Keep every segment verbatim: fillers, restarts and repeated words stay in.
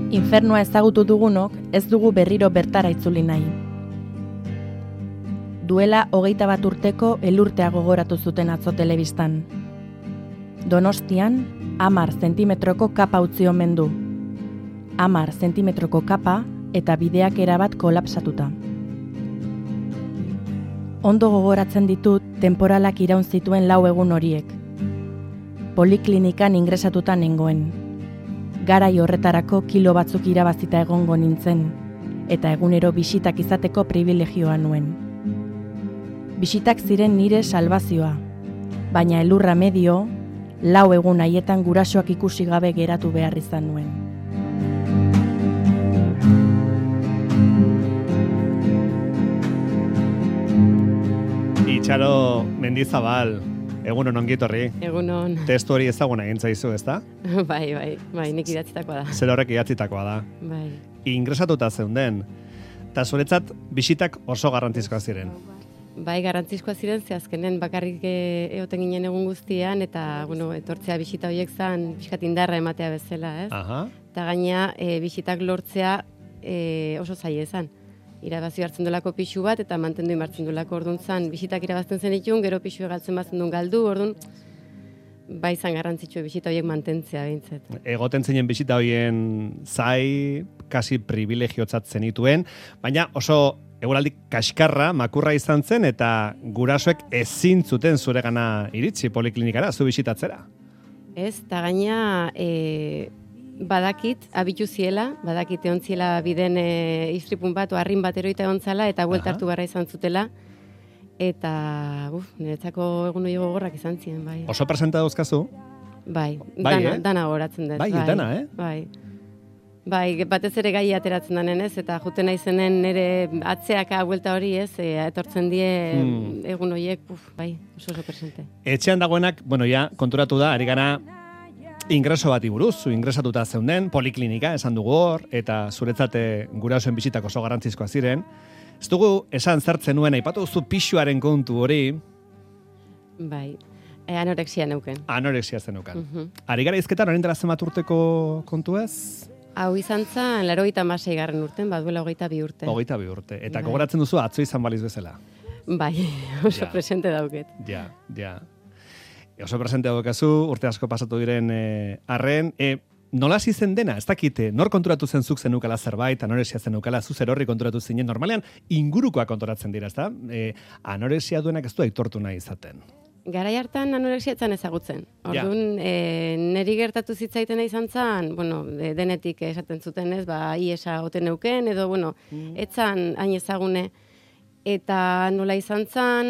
Infernua ezagutu dugunok ez dugu berriro bertara itzuli nahi. Duela hogeita bat urteko elurtea gogoratu zuten atzo telebistan. Donostian, hamar zentimetroko kapa utzi omen du. Hamar zentimetroko kapa eta bideak erabat kolapsatuta. Ondo gogoratzen ditut temporalak iraun zituen lau egun horiek. Poliklinikan ingresatuta nengoen. Garai horretarako kilo batzuk irabazita egongo nintzen, eta egunero bisitak izateko privilegioa nuen. Bisitak ziren nire salbazioa, baina elurra medio, lau egun haietan gurasoak ikusi gabe geratu behar izan nuen. Itxaro Mendizabal, egunon ongi etorri. Egunon. Testu hori ezaguna egin zaizu, ezta? Bai, bai, bai, nik idatzitakoa da. Zer horrek idatzitakoa da. Bai. Ingresatuta zeunden, eta zuretzat bisitak oso garrantzizkoa ziren. Bai, garrantzizkoa ziren, ze azkenen bakarrik egoten ginen egun guztian, eta, bueno, etortzea bisita horiek zan, pixkat indarra ematea bezala, ez? Aha. Eta gaina, e, bisitak lortzea e, oso zaila ezan. Irabazio hartzen dolako pixu bat, eta mantendu imartzen dolako orduan zan, bisitak irabazten zen itun, gero pixu egaltzen bazen duen galdu, orduan, bai zan garrantzitsua bisita horiek mantentzea behintzat. Egoten zinen bisita horien zai, kasi privilegiotzat zenituen, baina oso eguraldi kaskarra, makurra izan zen, eta gurasoek ezin zuten zuregana iritsi poliklinikara, zu bisitatzera. Ez, eta gaina, e, badakit, abitu ziela, badakit egon ziela biden e, istripun bat, o arrin bat eroita egon zala, eta buelta hartu barra izan zutela, eta, uf, niretzako egun hori gogorrak izan ziren, bai. Oso presenta dauzkazu? Bai, bai dana, eh? dana goratzen dut. Bai, bai, dana, eh? Bai. Bai, batez ere gai ateratzen danen, ez, eta juten naizenen nire atzeaka buelta hori, ez, e, etortzen die hmm. egun horiek, uf, bai, oso oso presente. Etxean dagoenak, bueno, ja, konturatu da, ari gara ingreso bati buruz, zu ingresatuta zeunden, poliklinika, esan dugu hor, eta zuretzate gurasoen bisitak oso garrantzizkoa ziren. Ez dugu esan zertzen nuen, aipatu duzu pixuaren kontu hori. Bai, e, anorexia neuken. Anorexia zenukan. Uh -huh. Ari gara izketan, orain dela zenbat urteko kontu ez? Hau izan zen, larogeita hamasei garren urten, baduela hogeita bi urte. Hogeita bi urte. Eta bai. Gogoratzen duzu atzo izan baliz bezala. Bai, oso ja. presente dauket. Ja, ja. E, oso presente daukazu, urte asko pasatu diren e, arren. E, nola hasi zen dena? Ez dakite, nor konturatu zen zuk zenukala zerbait, anorexia zenukala, zu zer horri konturatu zinen. Normalean, ingurukoa konturatzen dira, ezta? E, anorexia duenak ez du aitortu nahi izaten. Garai hartan anorexia etzan ezagutzen. Orduan, ja. e, neri gertatu zitzaitena izan zen, bueno, de, denetik esaten zuten ez, ba, iesa oten neuken, edo, bueno, mm. etzan hain ezagune. Eta nola izan zen,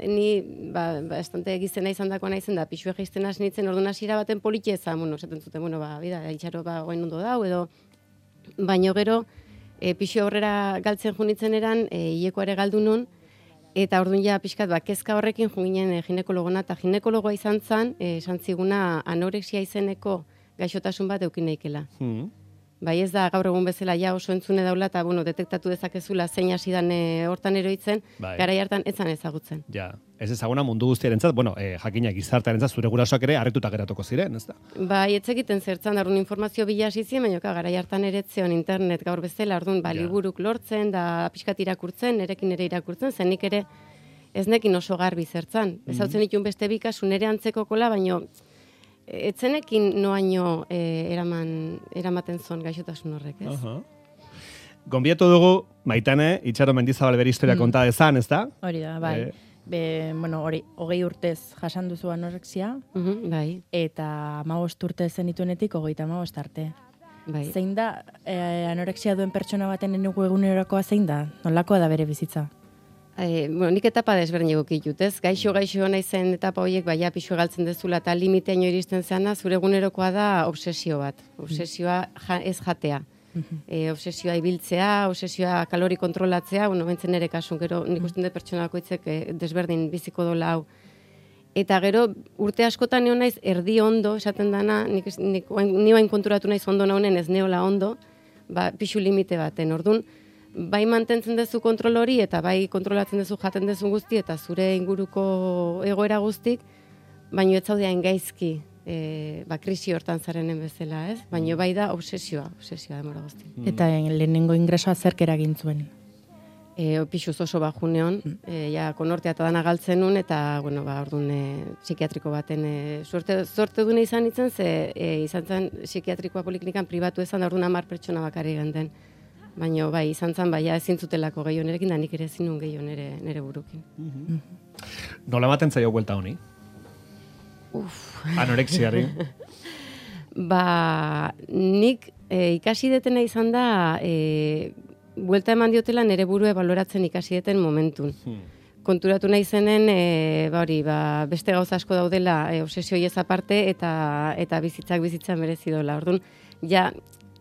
ni, ba, ba estante egizena izan dakoa nahi zen da, pixue geizten hasi nintzen, orduan hasiera baten politia ezan, bueno, esaten zuten, bueno, ba, bida, itxaro, ba, goen ondo dau, edo, baino gero, e, pixue aurrera galtzen junitzen eran, e, hilekoare galdu nun, eta orduan ja pixkat, ba, kezka horrekin junginen e, ginekologona, eta ginekologoa izan zen, e, esan ziguna anorexia izeneko gaixotasun bat eukin naikela. Hmm. Bai ez da gaur egun bezala ja oso entzune daula, eta bueno, detektatu dezakezula zein hasi dan e, hortan eroitzen, bai. Garai hartan etzan ezagutzen. Ja, ez ezaguna mundu guztiarentzat, bueno, e, jakinak gizartearentzat zure gurasoak ere harrituta geratuko ziren, ez da? Bai, ez egiten zertzan, orduan informazio bila hasi ziren, baina garai hartan eretzeon internet gaur bezala, orduan ba, liburuk lortzen, da pixkat irakurtzen, nerekin ere irakurtzen, zen nik ere ez nekin oso garbi zertzan. Ez hautzen ditun beste bikasu nere antzeko kola, baina etzenekin noaino e, eraman, eramaten zon gaixotasun horrek, ez? Uh-huh. Gonbietu dugu, Maitane, Itxaro Mendizabal bere historia mm. konta dezan, ez da? Hori da, bai. E... Be, bueno, hori, hogei urtez jasan duzu anorexia, uh-huh, bai. Eta hamabost urte zenituenetik hogeita hamabost arte. Bai. Zein da, e, anorexia duen pertsona baten enugu egunerokoa zein da? Nolakoa da bere bizitza? E, bueno, nik etapa desberdin egokitut, ez? Gaixo, gaixo naizen etapa horiek, baina pixo galtzen dezula, eta limiteaino iristen zeana, zure egunerokoa da obsesio bat. Obsesioa ja, ez jatea. E, obsesioa ibiltzea, obsesioa kalori kontrolatzea, bueno, bentzen ere kasun, gero nik usten dut pertsona bakoitzek e, desberdin biziko dola hau. Eta gero, urte askotan nio naiz, erdi ondo, esaten dana, nik, nik, ni bain konturatu naiz ondo naunen ez neola ondo, ba, pixu limite baten, orduan, bai mantentzen duzu kontrol hori, eta bai kontrolatzen duzu jaten duzu guzti, eta zure inguruko egoera guztik, baino ez zaudean gaizki e, ba, krisi hortan zarenen bezala, ez? Baina bai da obsesioa, obsesioa demora guzti. Mm. Eta lehenengo ingresoa zerk eragin zuen? E, pixuz oso bajuneon, mm. e, ja, konortea eta dana galtzen nun, eta, bueno, ba, orduan e, psikiatriko baten, e, suerte, sorte dune izan itzen, ze e, izan zen psikiatrikoa poliklinikan pribatu ezan, da orduan hamar pertsona bakarri ganden. Baina, bai, izan zen, bai, ezin zutelako gehiago nerekin, da nik ere ezin nun gehiago nere, nere burukin. Mm-hmm. Nola ematen zaio buelta honi? Uf. Anorexiari? Ba, nik e, ikasi detena izan da, e, buelta eman diotela nere burue baloratzen ikasi deten momentun. Hmm. Konturatu nahi zenen, e, ba hori, ba, beste gauza asko daudela e, obsesio ez aparte eta eta bizitzak bizitza merezi dola. Orduan, ja,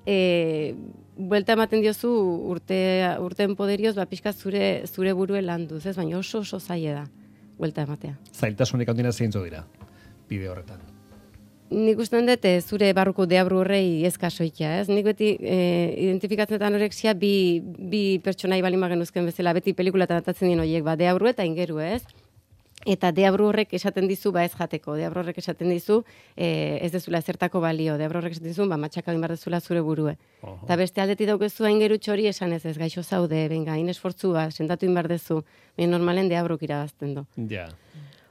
e, buelta ematen diozu urte, urten poderioz, ba, pixka zure, zure burue landuz, ez? Baina oso oso zaila da, buelta ematea. Zailtasunik handina zeintzu dira, bide horretan. Nik ustean dut, zure barruko deabru horrei ez kasoikia, ez? Nik beti e, identifikatzen eta anorexia bi, bi pertsonai balin genuzken bezala, beti pelikulatan atatzen dien horiek, ba, deabru eta ingeru, ez? Eta deabru horrek esaten dizu, ba ez jateko, deabru horrek esaten dizu, e, ez dezula ezertako balio, deabru horrek esaten dizu, ba matxaka binbar dezula zure burue. Eta beste aldeti daukezu aingeru txori esan ez ez, gaixo zaude, benga, inesfortzua, sendatu inbar dezu, baina normalen deabruk irabazten du. Ja.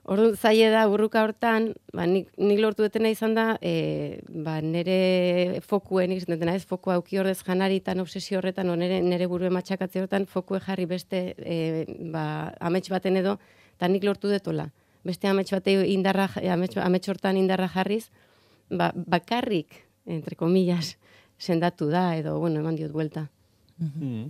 Orduan, zaila da, burruka hortan, ba, nik, nik lortu detena izan da, e, ba, nere fokue, nik zentetena ez, fokua auki ordez janaritan, obsesio horretan, o nere, nere burue matxakatze horretan, fokue jarri beste, e, ba, amets baten edo, eta nik lortu detola. Beste amets bate indarra, amets, amets hortan indarra jarriz, ba, bakarrik, entre comillas, sendatu da, edo, bueno, eman diot buelta. Mm-hmm.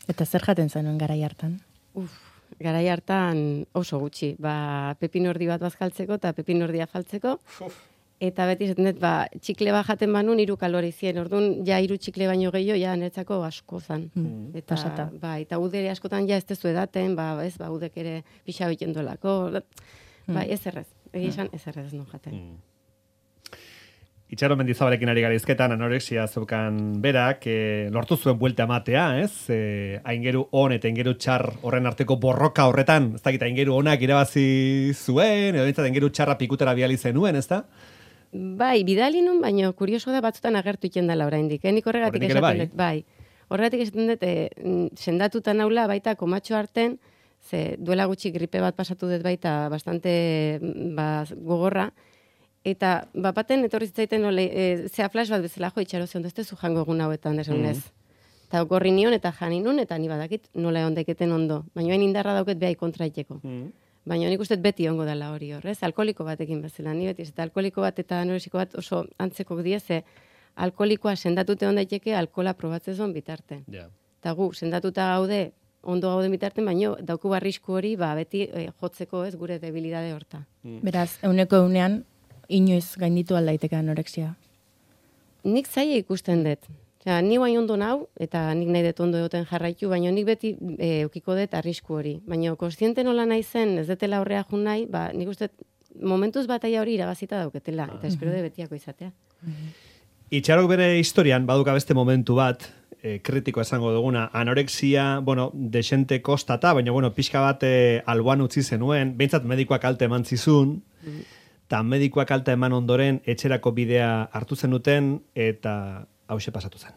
Eta zer jaten zenuen garai hartan? Uf. Garai hartan oso gutxi, ba, pepinordi bat bazkaltzeko eta pepinordia faltzeko, eta beti esaten dut, ba, txikle bat jaten banun hiru kalori zien, orduan ja hiru txikle baino gehiago, ja niretzako asko zan. Mm, eta, pasata. Ba, eta udere askotan ja ez tezu edaten, ba, ez, ba, udek ere pixa biten dolako, mm. ba, ez errez, egia esan ez errez non jaten. Mm. Itxaro Mendizabalekin ari garizketan anorexia zeukan berak, e, lortu zuen buelta ematea, ez? E, aingeru on eta aingeru txar horren arteko borroka horretan, ez dakit aingeru onak irabazi zuen, edo nintzat aingeru txarra pikutera biali zenuen, ez da? Bai, bidali nun, baina kurioso da batzutan agertu iken dela oraindik. Eh? Nik horregatik esaten dut, bai. Horregatik esaten dut, e, sendatuta naula baita komatxo arten, ze duela gutxi gripe bat pasatu dut baita bastante ba, gogorra, eta bapaten etorri zitzaiten ole, e, zea flash bat bezala jo itxaro zion, ez zu jango egun hauetan desunez. Mm. Eta gorri nion eta jani nun, eta ni badakit nola egon daiketen ondo. Baina hain indarra dauket behai kontraiteko. Mm. Baina nik uste beti ongo dela hori horrez, alkoholiko batekin bezala. Ni beti, eta alkoholiko bat eta anoresiko bat oso antzeko dieze, alkoholikoa sendatute on daiteke alkohola probatzezon bitarte. Yeah. Eta gu, sendatuta gaude, ondo gaude bitarten, baina dauku barrisku hori, ba, beti e, jotzeko ez gure debilidade horta. Mm. Beraz, euneko eunean, inoiz gainditu aldaiteke anorexia? Nik zaila ikusten dut. Osea, ni guain ondo nau, eta nik nahi dut ondo egoten jarraitu, baina nik beti e, eukiko dut arrisku hori. Baina kontziente nola nahi zen, ez detela horrea jun nahi, ba, nik uste momentuz bataia hori irabazita dauketela, eta espero de betiako izatea. Itxarok bere historian, baduka beste momentu bat, e, kritiko esango duguna, anorexia, bueno, desente kostata, baina, bueno, pixka bat e, alboan utzi zenuen, behintzat medikoak alte eman zizun, mm. eta medikoak alta eman ondoren etxerako bidea hartu zenuten eta hauxe pasatu zen.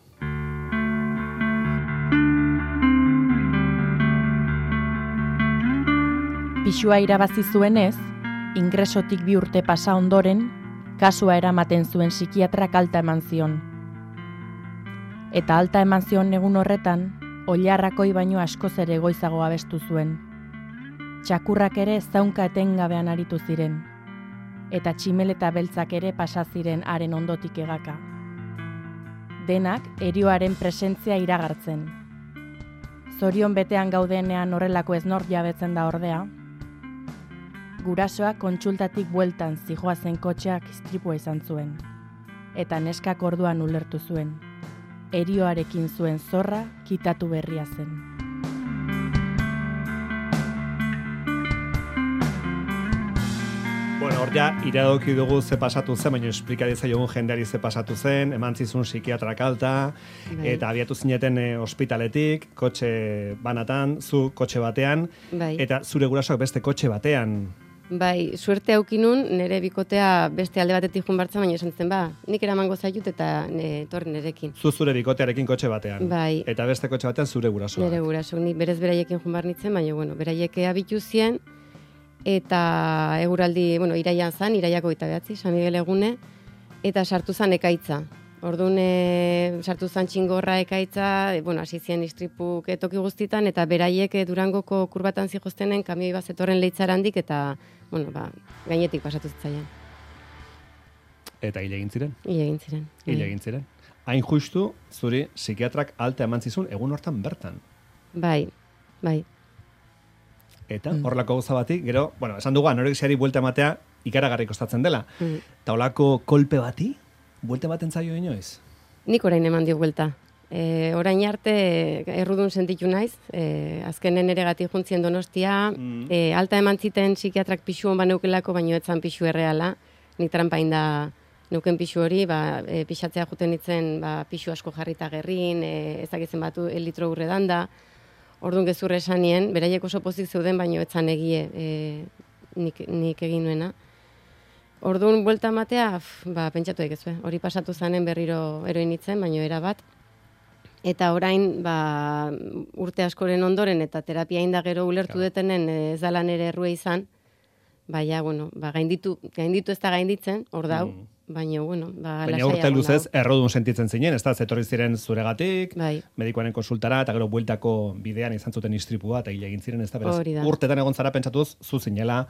Pisua irabazi zuenez, ingresotik bi urte pasa ondoren, kasua eramaten zuen psikiatrak alta eman zion. Eta alta eman zion egun horretan, oilarrakoi baino askoz ere goizago abestu zuen. Txakurrak ere zaunka etengabean aritu ziren. Eta tximeleta beltzak ere pasa ziren haren ondotik egaka. Denak erioaren presentzia iragartzen. Zorion betean gaudenean horrelako ez nor jabetzen da ordea. Gurasoak kontsultatik bueltan zijoazen kotxeak istripua izan zuen. Eta neskak orduan ulertu zuen. Erioarekin zuen zorra kitatu berria zen. Bueno, hor ja, iradoki dugu ze pasatu zen, baina esplikari zaiogun jendeari ze pasatu zen, eman zizun psikiatrak alta, bai. Eta abiatu zineten e, ospitaletik, kotxe banatan, zu kotxe batean, bai. Eta zure gurasoak beste kotxe batean Bai, suerte aukinun, nire bikotea beste alde batetik jun bartzen, baina esan zen, ba, nik eramango zaitut eta ne, torri nerekin. Zu zure bikotearekin kotxe batean. Bai. Eta beste kotxe batean zure gurasoak. Nire guraso, ni berez beraiekin jun bar nitzen, baina, bueno, beraiek abitu zien, eta eguraldi, bueno, iraian zan, iraiako eta behatzi, San Miguel egune, eta sartu zan ekaitza. Orduan, e, sartu zan txingorra ekaitza, e, bueno, hasi zien istripuk toki guztitan, eta beraiek e, Durangoko kurbatan zihoztenen kamioi bat zetorren leitzarandik, eta, bueno, ba, gainetik pasatu zitzaian. Eta hile egin ziren? Hile egin ziren. Hile egin ziren. Hain justu, zuri psikiatrak alta eman zizun egun hortan bertan. Bai, bai. Eta horrelako gauza bati, gero, bueno, esan dugu anorexiari buelta ematea ikaragarri kostatzen dela. Mm. Eta holako kolpe bati, buelta ematen zaio inoiz? Nik orain eman dio buelta. E, orain arte errudun sentitu naiz, e, azkenen ere gati juntzien Donostia, mm. e, alta eman ziten psikiatrak pixu hon baneukelako, baino etzan pixu erreala, nik trampain da neuken pixu hori, ba, e, pixatzea juten nitzen ba, pixu asko jarrita gerrin, e, ezakitzen batu el litro urredan da, orduan gezurre esanien, beraiek oso pozik zeuden, baino etzan egie e, nik, nik egin nuena. Orduan buelta ematea, ba, pentsatu egizu, hori pasatu zanen berriro eroin nitzen, baino era bat. Eta orain, ba, urte askoren ondoren eta terapia inda gero ulertu claro. detenen ez dala nere errue izan, baina, bueno, ba, gainditu, gainditu ez da gainditzen, hor dau, mm. baina, bueno, ba, baina urte luzez errodun sentitzen zinen, ez da, zetorri ziren zuregatik, bai. Medikoaren konsultara, eta gero bueltako bidean izan zuten istripua, eta hile egin ziren, ez da, beraz, urtetan egon zara pentsatuz, zu zinela,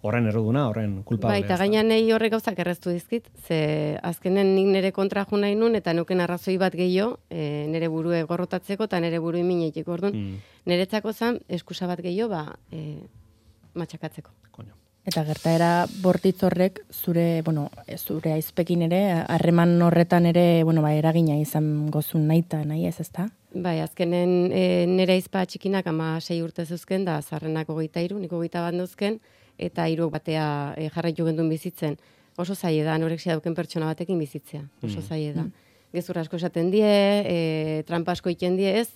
horren erroduna, horren kulpable. Bai, eta gainan nahi horrek gauzak erreztu dizkit, ze azkenen nik nire kontra jo nahi nun, eta nuken arrazoi bat gehiago, e, nire burue gorrotatzeko, eta nire burui minetik orduan. Mm. Niretzako zan, eskusa bat gehiago, ba, e, matxakatzeko. Koño. Eta gertaera bortitz horrek, zure, bueno, zure aizpekin ere, harreman horretan ere, bueno, ba, eragina izan gozun nahi eta nahi ez, ezta? Bai, azkenen e, nire aizpa txikinak ama sei urte zuzken, da zarrenak hogeita hiru, niko hogeita bat duzken, eta hiru batea e, jarraitu gendun bizitzen. Oso zaie da, anorexia dauken pertsona batekin bizitzea. Oso zaie da. Mm. Gezur asko esaten die, e, trampa asko iten die ez,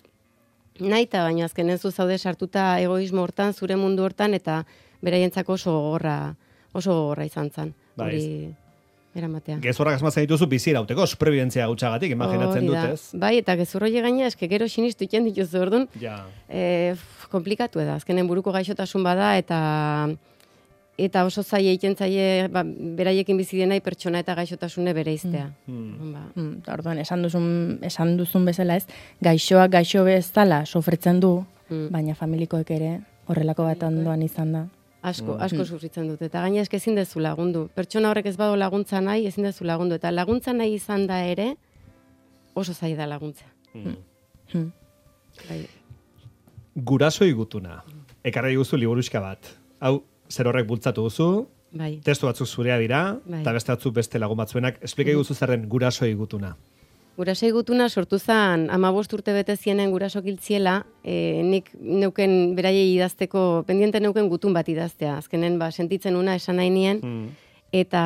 nahi eta baina azkenen zu zaude sartuta egoismo hortan, zure mundu hortan, eta beraientzako oso gogorra, oso gogorra izan zen. Hori eramatea. Gezurrak asmatzen dituzu bizi irauteko, superbientzia gutxagatik, imaginatzen dut ez? Bai, eta gezurro gaina eske gero sinistu iten dituzu orduan. Ja. E, komplikatu da, azkenen buruko gaixotasun bada, eta eta oso zaie egiten zaie ba, beraiekin bizi denai pertsona eta gaixotasune bereiztea. Mm. Ba. Mm, orduan, esan duzun, esan duzun bezala ez, gaixoak gaixo bezala sofritzen du, mm. baina familikoek ere horrelako bat ondoan izan da. Asko, asko sufritzen dut. Eta gaina eske ezin dezu lagundu. Pertsona horrek ez badu laguntza nahi, ezin dezu lagundu. Eta laguntza nahi izan da ere, oso zaila da laguntza. Mm. Mm. Bai. Gurasoi gutuna. Ekarri guzu liburuxka bat. Hau, zer horrek bultzatu duzu, bai. Testu batzuk zurea dira, bai. Eta beste batzuk beste lagun batzuenak. Esplikai guzu zerren gurasoi gutuna. Gurasoi gutuna sortu zen hamabost urte bete zienen gurasok hiltziela, e, nik neuken beraiei idazteko, pendiente neuken gutun bat idaztea. Azkenen ba, sentitzen una esan nahi nien, mm. eta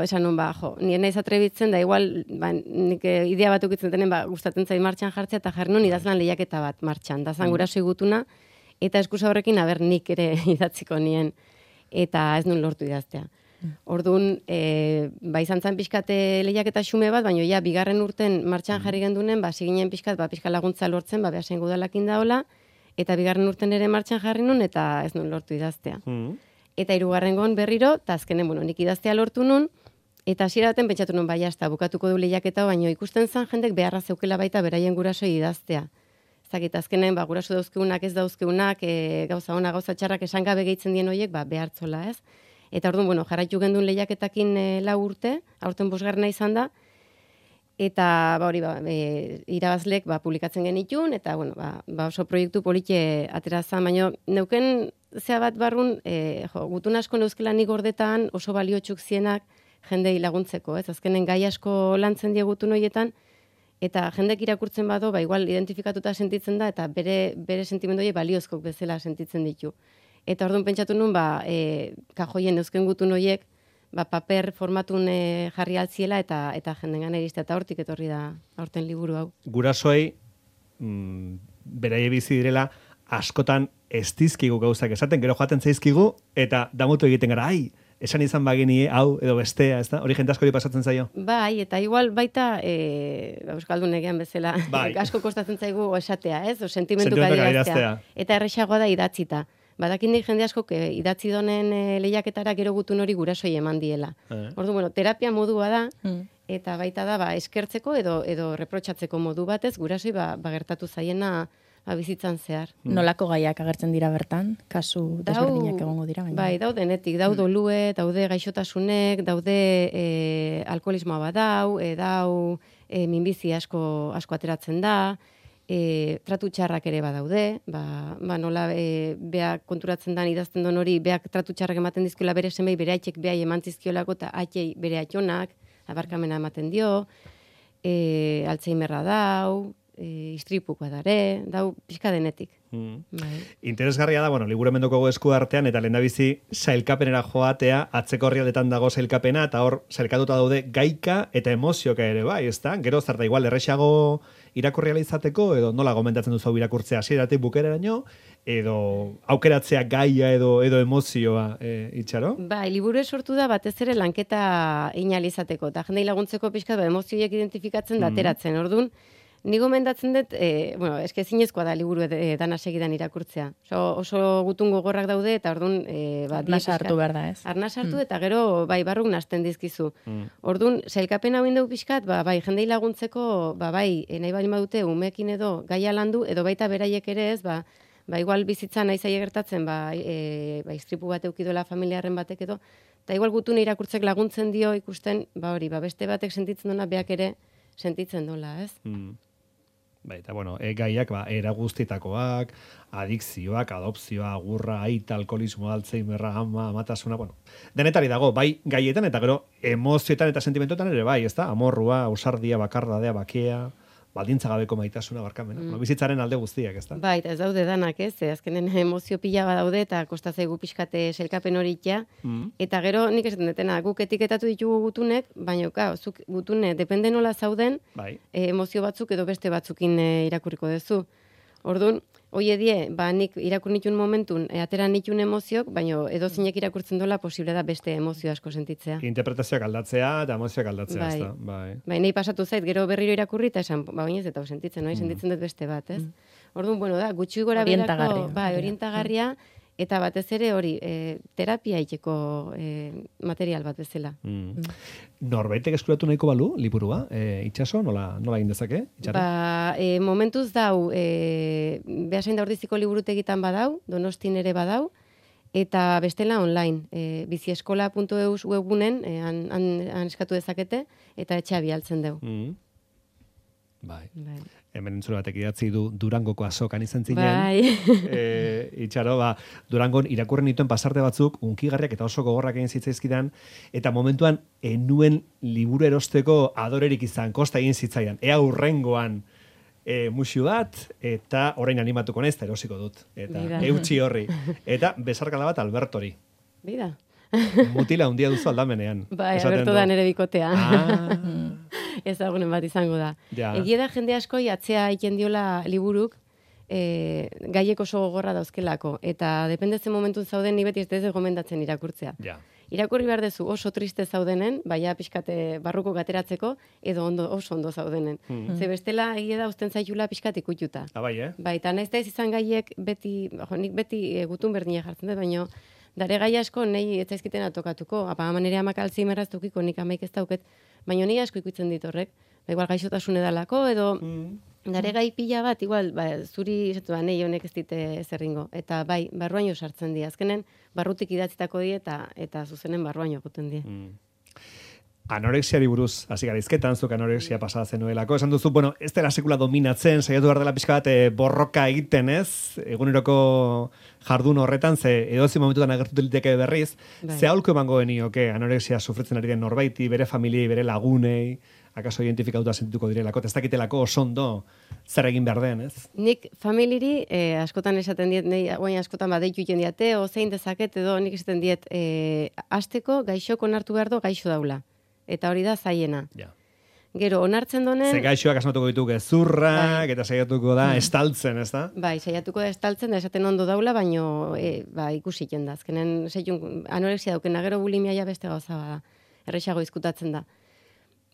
esan nun ba, jo, nien naiz atrebitzen, da igual, ba, nik idea bat ukitzen denen, ba, gustatzen zait martxan jartzea, eta jarri nun idazlan lehiaketa bat martxan. Da zan mm. gurasoi gutuna, eta eskusa horrekin, aber nik ere idatziko nien, eta ez nun lortu idaztea. Orduan, e, ba izan zen pixkate lehiaketa xume bat, baina ja, bigarren urten martxan jarri gendunen, ba, ziginen pixkat, ba, pixka laguntza lortzen, ba, behasen gudalakin daola, eta bigarren urten ere martxan jarri nun, eta ez nun lortu idaztea. Mm. Eta hirugarren gon berriro, eta azkenen, bueno, nik idaztea lortu nun, eta hasiera baten pentsatu nun, bai, hasta bukatuko du lehiaketa, baina ikusten zen jendek beharra zeukela baita beraien gurasoi idaztea. Zakit, azkenen, ba, guraso dauzkeunak ez dauzkeunak, e, gauza ona, gauza txarrak esan gabe gehitzen dien horiek, ba, behartzola, ez? Eta orduan, bueno, jarraitu gendun lehiaketakin e, lau urte, aurten bosgarrena izan da, eta ba, hori, ba, e, irabazlek ba, publikatzen genitun, eta bueno, ba, ba oso proiektu polite atera zan, baina neuken zea bat barrun, e, jo, gutun asko neuzkela nik gordetan oso baliotxuk zienak jendei laguntzeko, ez? Azkenen gai asko lantzen die gutun horietan, eta jendek irakurtzen bado, ba, igual identifikatuta sentitzen da, eta bere, bere sentimendu horiek baliozkok bezala sentitzen ditu. Eta orduan pentsatu nun, ba, e, kajoien eusken gutun horiek, ba, paper formatun e, jarri altziela eta eta jendengan iristea, eta hortik etorri da aurten liburu hau. Gurasoei, mm, beraie bizi direla, askotan ez dizkigu gauzak esaten, gero joaten zaizkigu, eta damutu egiten gara, ai, esan izan bagini hau edo bestea, ez da? Hori jente askori pasatzen zaio? Bai, eta igual baita e, Euskaldun egean bezala bai. asko kostatzen zaigu esatea, ez? O sentimentuka adieraztea. Eta erresagoa da idatzita. Badakin nik jende asko idatzi donen e, lehiaketara gero gutun hori gurasoi eman diela. Eh. Ordu, bueno, terapia modua da, mm. eta baita da, ba, eskertzeko edo edo reprotsatzeko modu batez, gurasoi ba, ba gertatu zaiena ba, bizitzan zehar. Mm. Nolako gaiak agertzen dira bertan? Kasu desberdinak egongo dira gaina. Bai, daude netik, daude olue, daude gaixotasunek, daude e, alkoholismoa badau, e, dau e, minbizi asko asko ateratzen da, e, tratu txarrak ere badaude, ba, ba nola e, beak konturatzen dan idazten don hori, beak tratu txarrak ematen dizkiola bere semei, bere aitzek behai eman zizkiolako, eta aitzei bere aitzonak, abarkamena ematen dio, e, Alzheimerra dau, e, istripukoa dare, dau pixka denetik. Mm. Bai. Interesgarria da, bueno, liburu mendoko esku artean, eta lehendabizi sailkapenera joatea, atzeko horrialdetan dago sailkapena, eta hor sailkatuta daude gaika eta emozioka ere, bai, ez da? Gero, zer da, igual, errexago irakurriala izateko, edo nola gomendatzen duzu irakurtzea hasieratik bukereraino, edo aukeratzea gaia edo edo emozioa, e, Itxaro? Bai, liburu sortu da batez ere lanketa inalizateko, eta jendei laguntzeko pixka ba, emozioiek identifikatzen da ateratzen, mm. Orduan, ni gomendatzen dut, e, bueno, eske ezinezkoa da liburu e, dana segidan irakurtzea. Oso, oso gutun gogorrak daude, eta orduan... E, ba, arnaz hartu behar da, ez? Arnaz hartu, mm. eta gero, bai, barruk nazten dizkizu. Mm. Orduan, sailkapen hau indau pixkat, ba, bai, jendei laguntzeko, ba, bai, e, nahi bali badute, umekin edo gaia landu, edo baita beraiek ere ez, ba, ba igual bizitza nahi zaie gertatzen, ba, e, ba, istripu bat eukidola familiarren batek edo, eta igual gutune irakurtzek laguntzen dio ikusten, ba hori, ba, beste batek sentitzen dona, beak ere sentitzen dola, ez? Mm. Bai, eta bueno, e, gaiak, ba, era guztitakoak, adikzioak, adopzioa, agurra, aita, alkoholismo, Alzheimerra, ama, amatasuna, bueno, denetari dago, bai gaietan, eta gero emozioetan eta sentimentoetan ere bai, ez da? Amorrua, ausardia, bakardadea, bakea, baldintza gabeko maitasuna, barkamena. Mm. Bueno, bizitzaren alde guztiak, ez da? Bai, eta ez daude danak, ez? Azkenen emozio pila badaude, eta kosta zaigu pixkate selkapen hori itxea. Mm. Eta gero, nik esaten detena, guk etiketatu ditugu gutunek, baina, ka, zuk gutune, depende nola zauden, bai. e, emozio batzuk edo beste batzukin e, irakurriko duzu. Orduan, hoie die, ba, nik irakur nitun momentun, e, atera nitun emoziok, baina edo zinek irakurtzen dola posible da beste emozio asko sentitzea. Interpretazioak aldatzea eta emozioak aldatzea, bai. Ez da? Bai. Bai, nahi pasatu zait, gero berriro irakurri eta esan, ba, bainez, eta sentitzen, no? Sentitzen dut beste bat, ez? Mm. Orduan, bueno, da, gutxi gora berako, bai, orientagarria, eta batez ere hori, e, terapia iteko e, material bat bezala. Mm. Mm. Norbaitek eskuratu nahiko balu, liburua, e, Itxaso, nola, nola egin dezake? Itxarra? Ba, e, momentuz dau, e, behasain da ordiziko liburutegitan badau, Donostin ere badau, eta bestela online, e, bizieskola puntu eus webunen, e, han, han, han eskatu dezakete, eta etxea bialtzen dugu. Mm. Bai. Bai. Hemen entzule batek idatzi du Durangoko azokan izan zinen. Bai. e, Itxaro, ba, Durangon irakurren dituen pasarte batzuk, unkigarriak eta oso gogorrak egin zitzaizkidan, eta momentuan enuen liburu erosteko adorerik izan, kosta egin zitzaidan. Ea urrengoan e, musu bat, eta orain animatuko nez, eta erosiko dut. Eta Bida. Eutxi horri. Eta besarkada bat Albertori. Bida. Mutila hundia duzu aldamenean. Bai, Alberto da nere bikotea. Ah. Ezagunen bat izango da. Ja. Egia da jende asko atzea egiten diola liburuk, e, gaiek oso gogorra dauzkelako. Eta dependezen momentun zauden, ni beti ez dez gomendatzen irakurtzea. Ja. Irakurri behar dezu oso triste zaudenen, baina pixkate barruko gateratzeko, edo ondo, oso ondo zaudenen. Mm. Ze bestela egia da usten zaitula pixkat ikututa. Ah, bai, eh? Bai, eta nahiz da ez izan gaiek beti, jo, nik beti e, gutun berdina jartzen dut, baina dare gai asko nahi ez zaizkiten atokatuko. Apa, ama nire amak Alzheimerraz tukiko, nik amaik ez dauket, baina ni asko ikutzen dit horrek. Ba, igual gaixotasun edalako, edo mm. dare gai pila bat, igual, ba, zuri esatu da, nahi honek ez dite zerringo. Eta bai, barruaino sartzen di. Azkenen, barrutik idatzitako di eta eta zuzenen barruaino goten di. Mm. Anorexiari buruz, hasi gara izketan, zuk anorexia pasada zenuelako. Esan duzu, bueno, ez dela sekula dominatzen, saiatu behar dela pixka bat e, borroka egiten, ez? Eguneroko jardun horretan, ze edozi momentutan agertu liteke berriz, bai. Ze aholko emango genioke anorexia sufritzen ari den norbaiti, bere familiei, bere lagunei, akaso identifikatuta sentituko direlako, ez dakitelako osondo zer egin behar den, ez? Nik familiri eh, askotan esaten diet, nei, guain askotan badeitu iten diate, o zein dezaket, edo nik esaten diet, eh, asteko gaixoko onartu behar do gaixo daula. Eta hori da zaiena. Ja. Gero, onartzen donen... Ze gaixoak asmatuko ditu gezurrak, eta saiatuko da estaltzen, ez da? Bai, saiatuko da estaltzen, da esaten ondo daula, baino e, ba, ikusi da. Azkenen, seitun, anorexia daukena, gero bulimia ja beste gauza bada. Errexago izkutatzen da.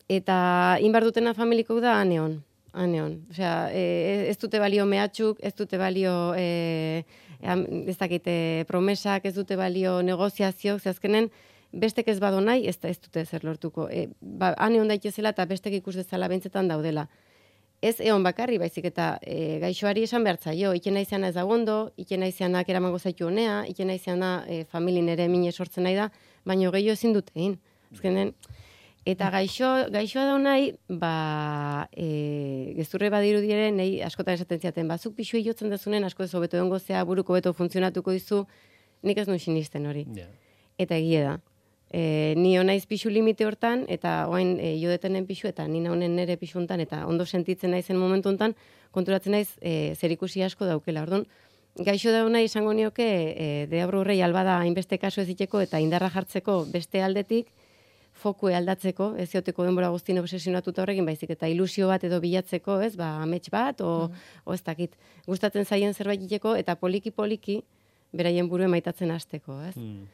Eta inbar dutena familiko da aneon. Aneon. Osea, e, ez dute balio mehatxuk, ez dute balio... E, ez dakite promesak, ez dute balio negoziazio, ze azkenen bestek ez bado nahi, ez, ez dute zer lortuko. E, ba, ane hon daitezela eta bestek ikus dezala bentzetan daudela. Ez egon bakarri, baizik eta e, gaixoari esan behartzaio, ikena izana ez dagondo, ikena izanak eramango zaitu honea, ikena izana e, familin ere mine sortzen nahi da, baino gehiago ezin dute egin. Azkenen, eta gaixo, gaixoa da nahi, ba, e, gezurre badiru dire, nahi askotan esaten ziaten, bazuk pixu jotzen dezunen, asko ez hobeto dongo zea, buruko beto funtzionatuko dizu, nik ez nun sinisten hori. Yeah. Eta egie da. E, ni honaiz pixu limite hortan, eta oain e, jodetenen pixu, eta nina honen nere pixu hontan, eta ondo sentitzen naizen momentu hontan, konturatzen naiz e, zerikusi asko daukela. Orduan, gaixo da nahi izango nioke, e, deabru horrei albada hainbeste kasu ez diteko, eta indarra jartzeko beste aldetik, fokue aldatzeko, ez zioteko denbora guztien obsesionatuta horrekin, baizik eta ilusio bat edo bilatzeko, ez, ba, amets bat, o, mm. o ez dakit. Gustatzen zaien zerbait iteko, eta poliki-poliki, beraien buruen maitatzen hasteko, ez. Mm.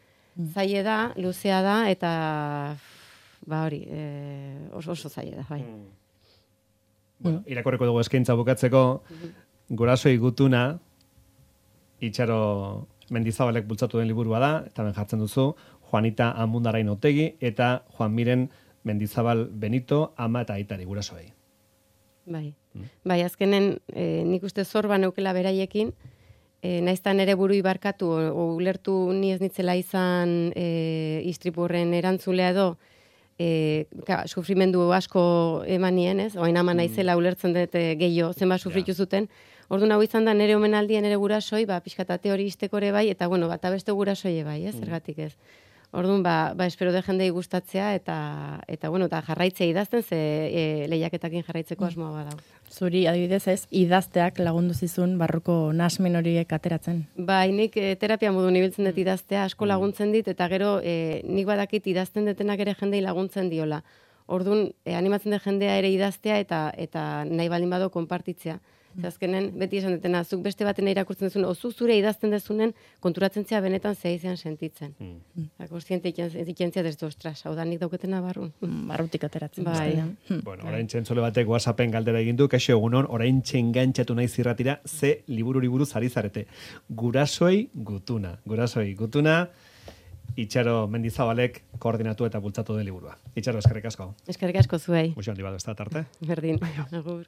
Zaie da, luzea da, eta, ba hori, e, oso, oso zaie da, bai. Mm. Bueno, irakorreko dugu eskaintza bukatzeko, mm-hmm. Gurasoi gutuna, Itxaro Mendizabalek bultzatu den liburua da, eta ben jartzen duzu, Juanita Amundarain Otegi eta Juan Miren Mendizabal Benito, ama eta aitari gurasoei. Bai, mm. bai azkenen e, nik uste zorba neukela beraiekin, e, naiztan ere buru ibarkatu, o, o ulertu ni ez nitzela izan e, istripurren erantzulea edo, e, ka, sufrimendu asko emanien, ez? Oain ama naizela ulertzen dut gehiago zenba sufritu zuten. Orduan hau izan da nere omenaldia nere gurasoi, ba, pixkatate hori izteko ere bai, eta bueno, bata beste gurasoi bai, ez? Zergatik ez. Orduan, ba, ba espero de jendei gustatzea eta eta bueno, eta jarraitzea idazten ze e, lehiaketakin jarraitzeko asmoa badau. Zuri adibidez ez idazteak lagundu zizun barruko nasmen horiek ateratzen. Bai, nik e, terapia modu ibiltzen dut idaztea, asko laguntzen dit eta gero e, nik badakit idazten detenak ere jendei laguntzen diola. Orduan, e, animatzen dut jendea ere idaztea eta eta nahi baldin bado konpartitzea. Azkenen, beti esan dutena, zuk beste baten irakurtzen duzun, ozu zure idazten dezunen, konturatzen zea benetan zea izan sentitzen. Mm. Kontziente ikentzia dezu, ostras, hau da nik dauketena barrun. Barrutik ateratzen. Bai. Bueno, orain txentzole batek WhatsAppen galdera egin du, kaixo egunon, orain txengantzatu nahi zirratira, ze libururi buruz ari zarete. Gurasoi gutuna. Gurasoi gutuna, Itxaro Mendizabalek koordinatu eta bultzatu den liburua. Itxaro, eskerrik asko. Eskerrik asko zuei. Muxo handi bat, ez da tarte. Berdin. Agur.